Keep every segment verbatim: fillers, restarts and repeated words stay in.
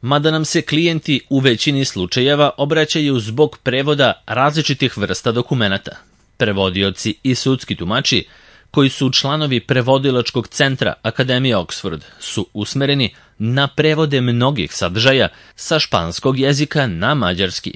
Mada nam se klijenti u većini slučajeva obraćaju zbog prevoda različitih vrsta dokumenata. Prevodioci i sudski tumači, koji su članovi prevodilačkog centra Akademije Oxford, su usmereni na prevode mnogih sadržaja sa španskog jezika na mađarski.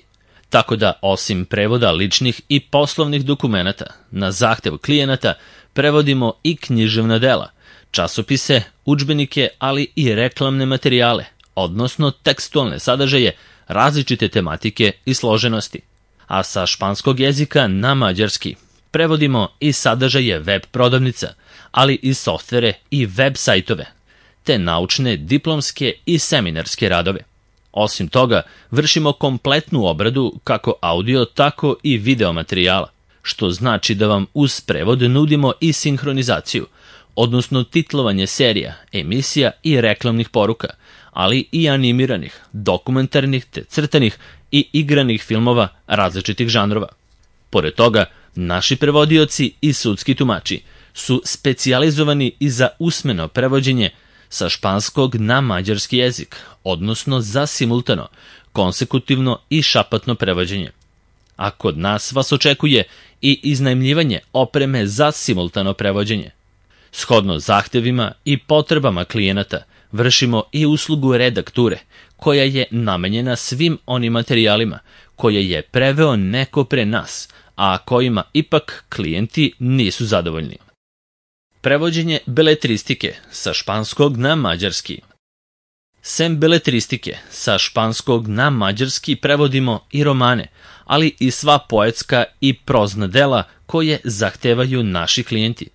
Tako da, osim prevoda ličnih i poslovnih dokumenata, na zahtev klijenata prevodimo i književna dela, časopise, udžbenike, ali i reklamne materijale, odnosno tekstualne sadržaje različite tematike i složenosti. A sa španskog jezika na mađarski prevodimo i sadržaje web prodavnica, ali i softvere i web sajtove, te naučne, diplomske i seminarske radove. Osim toga, vršimo kompletnu obradu kako audio, tako i video materijala, što znači da vam uz prevod nudimo i sinhronizaciju, odnosno titlovanje serija, emisija i reklamnih poruka, ali i animiranih, dokumentarnih te crtanih i igranih filmova različitih žanrova. Pored toga, naši prevodioci i sudski tumači su specijalizovani i za usmeno prevođenje sa španskog na mađarski jezik, odnosno za simultano, konsekutivno i šapatno prevođenje. A kod nas vas očekuje i iznajmljivanje opreme za simultano prevođenje. Shodno zahtevima i potrebama klijenata, vršimo i uslugu redakture, koja je namenjena svim onim materijalima koje je preveo neko pre nas, a kojima ipak klijenti nisu zadovoljni. Prevođenje beletristike sa španskog na mađarski. Sem beletristike sa španskog na mađarski prevodimo i romane, ali i sva poetska i prozna dela koje zahtevaju naši klijenti.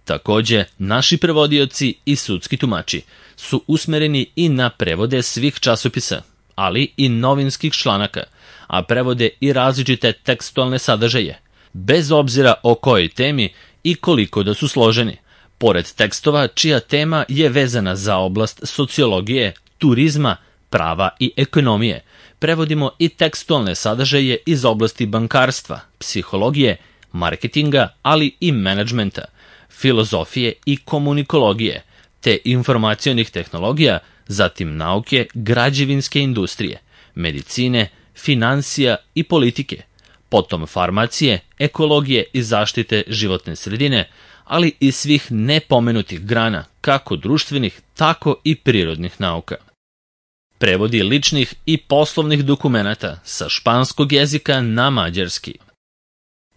Takođe, naši prevodioci i sudski tumači su usmereni i na prevode svih časopisa, ali i novinskih članaka, a prevode i različite tekstualne sadržaje, bez obzira o kojoj temi i koliko da su složeni. Pored tekstova čija tema je vezana za oblast sociologije, turizma, prava i ekonomije, prevodimo i tekstualne sadržaje iz oblasti bankarstva, psihologije, marketinga, ali i menadžmenta, filozofije i komunikologije, te informacionih tehnologija, zatim nauke, građevinske industrije, medicine, finansija i politike, potom farmacije, ekologije i zaštite životne sredine, ali i svih nepomenutih grana, kako društvenih, tako i prirodnih nauka. Prevodi ličnih i poslovnih dokumenata sa španskog jezika na mađarski.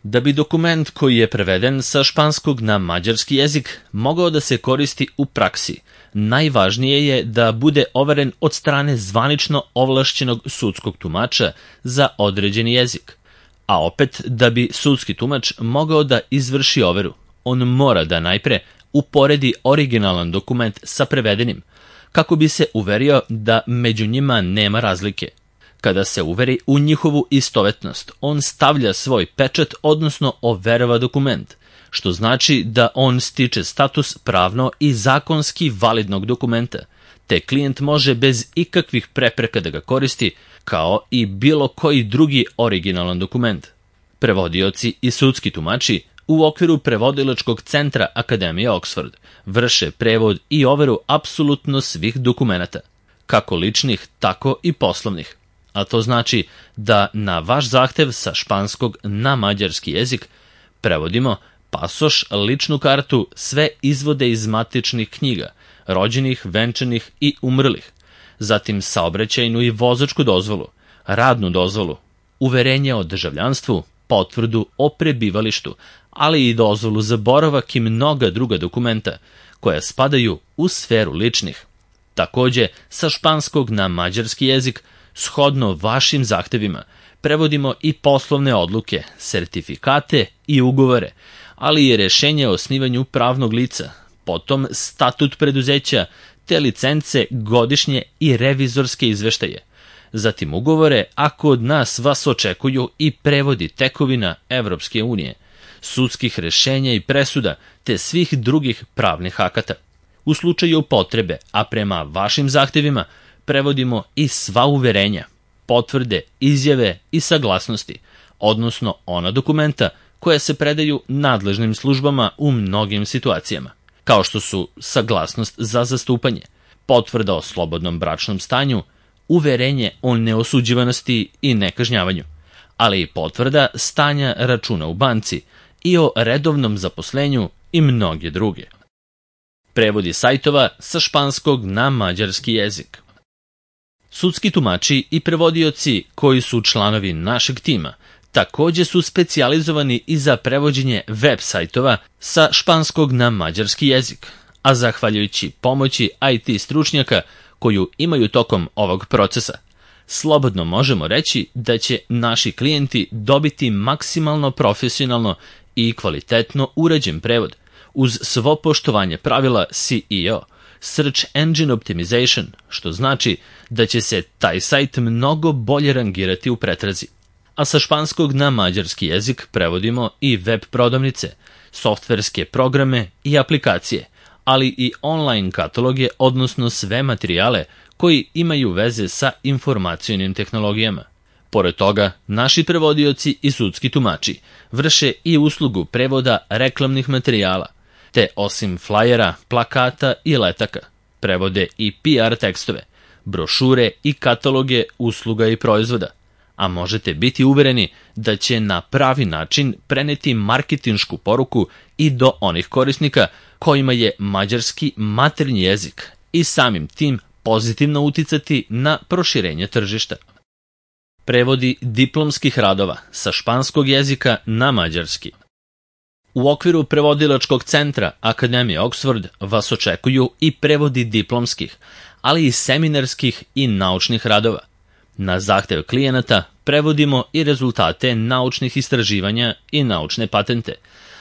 Da bi dokument koji je preveden sa španskog na mađarski jezik mogao da se koristi u praksi, najvažnije je da bude overen od strane zvanično ovlašćenog sudskog tumača za određeni jezik. A opet, da bi sudski tumač mogao da izvrši overu, on mora da najpre uporedi originalan dokument sa prevedenim, kako bi se uverio da među njima nema razlike. Kada se uveri u njihovu istovetnost, on stavlja svoj pečat, odnosno overava dokument, što znači da on stiče status pravno i zakonski validnog dokumenta, te klijent može bez ikakvih prepreka da ga koristi, kao i bilo koji drugi originalan dokument. Prevodioci i sudski tumači u okviru prevodilačkog centra Akademije Oxford vrše prevod i overu apsolutno svih dokumenata, kako ličnih, tako i poslovnih. A to znači da na vaš zahtev sa španskog na mađarski jezik prevodimo pasoš, ličnu kartu, sve izvode iz matičnih knjiga, rođenih, venčanih i umrlih, zatim saobraćajnu i vozačku dozvolu, radnu dozvolu, uverenje o državljanstvu, potvrdu o prebivalištu, ali i dozvolu za boravak i mnoga druga dokumenta koja spadaju u sferu ličnih. Takođe, sa španskog na mađarski jezik, shodno vašim zahtevima, prevodimo i poslovne odluke, sertifikate i ugovore, ali i rešenje o osnivanju pravnog lica, potom statut preduzeća, te licence, godišnje i revizorske izveštaje. Zatim ugovore, ako od nas vas očekuju i prevodi tekovina Evropske unije, sudskih rešenja i presuda, te svih drugih pravnih akata. U slučaju potrebe, a prema vašim zahtevima, prevodimo i sva uverenja, potvrde, izjave i saglasnosti, odnosno ona dokumenta koja se predaju nadležnim službama u mnogim situacijama, kao što su saglasnost za zastupanje, potvrda o slobodnom bračnom stanju, uverenje o neosuđivanosti i nekažnjavanju, ali i potvrda stanja računa u banci i o redovnom zaposlenju i mnoge druge. Prevodi sajtova sa španskog na mađarski jezik. Sudski tumači i prevodioci koji su članovi našeg tima takođe su specijalizovani i za prevođenje web sajtova sa španskog na mađarski jezik, a zahvaljujući pomoći I T stručnjaka koju imaju tokom ovog procesa, slobodno možemo reći da će naši klijenti dobiti maksimalno profesionalno i kvalitetno urađen prevod uz svo poštovanje pravila S E O, Search Engine Optimization, što znači da će se taj sajt mnogo bolje rangirati u pretrazi. A sa španskog na mađarski jezik prevodimo i web prodavnice, softverske programe i aplikacije, ali i online kataloge, odnosno sve materijale koji imaju veze sa informacionim tehnologijama. Pored toga, naši prevodioci i sudski tumači vrše i uslugu prevoda reklamnih materijala, te osim flajera, plakata i letaka, prevode i P R tekstove, brošure i kataloge usluga i proizvoda, a možete biti uvereni da će na pravi način preneti marketinšku poruku i do onih korisnika kojima je mađarski maternji jezik i samim tim pozitivno uticati na proširenje tržišta. Prevodi diplomskih radova sa španskog jezika na mađarski. U okviru prevodilačkog centra Akademije Oxford vas očekuju i prevodi diplomskih, ali i seminarskih i naučnih radova. Na zahtev klijenata prevodimo i rezultate naučnih istraživanja i naučne patente,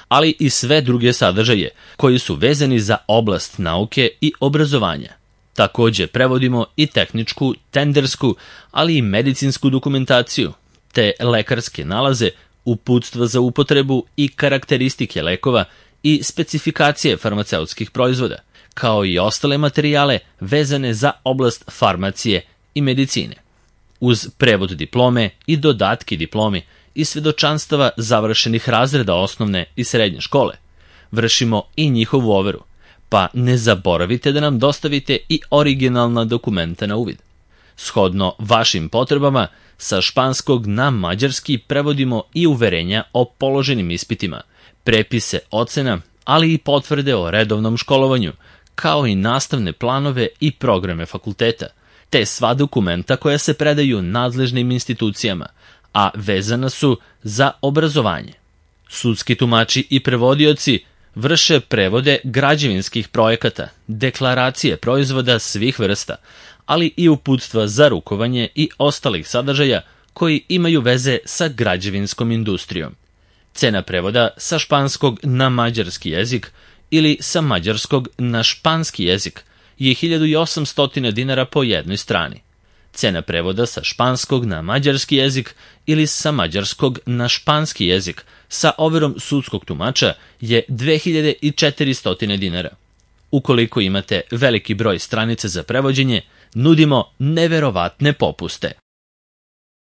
ali i sve druge sadržaje koji su vezani za oblast nauke i obrazovanja. Takođe prevodimo i tehničku, tendersku, ali i medicinsku dokumentaciju, te lekarske nalaze, uputstva za upotrebu i karakteristike lekova i specifikacije farmaceutskih proizvoda, kao i ostale materijale vezane za oblast farmacije i medicine. Uz prevod diplome i dodatki diplomi i svedočanstava završenih razreda osnovne i srednje škole, vršimo i njihovu overu, pa ne zaboravite da nam dostavite i originalna dokumenta na uvid. Shodno vašim potrebama, sa španskog na mađarski prevodimo i uverenja o položenim ispitima, prepise ocena, ali i potvrde o redovnom školovanju, kao i nastavne planove i programe fakulteta, te sva dokumenta koja se predaju nadležnim institucijama, a vezana su za obrazovanje. Sudski tumači i prevodioci vrše prevode građevinskih projekata, deklaracije proizvoda svih vrsta, ali i uputstva za rukovanje i ostalih sadržaja koji imaju veze sa građevinskom industrijom. Cena prevoda sa španskog na mađarski jezik ili sa mađarskog na španski jezik je hiljadu osamsto dinara po jednoj strani. Cena prevoda sa španskog na mađarski jezik ili sa mađarskog na španski jezik sa overom sudskog tumača je dve hiljade četiristo dinara. Ukoliko imate veliki broj stranica za prevođenje, nudimo neverovatne popuste.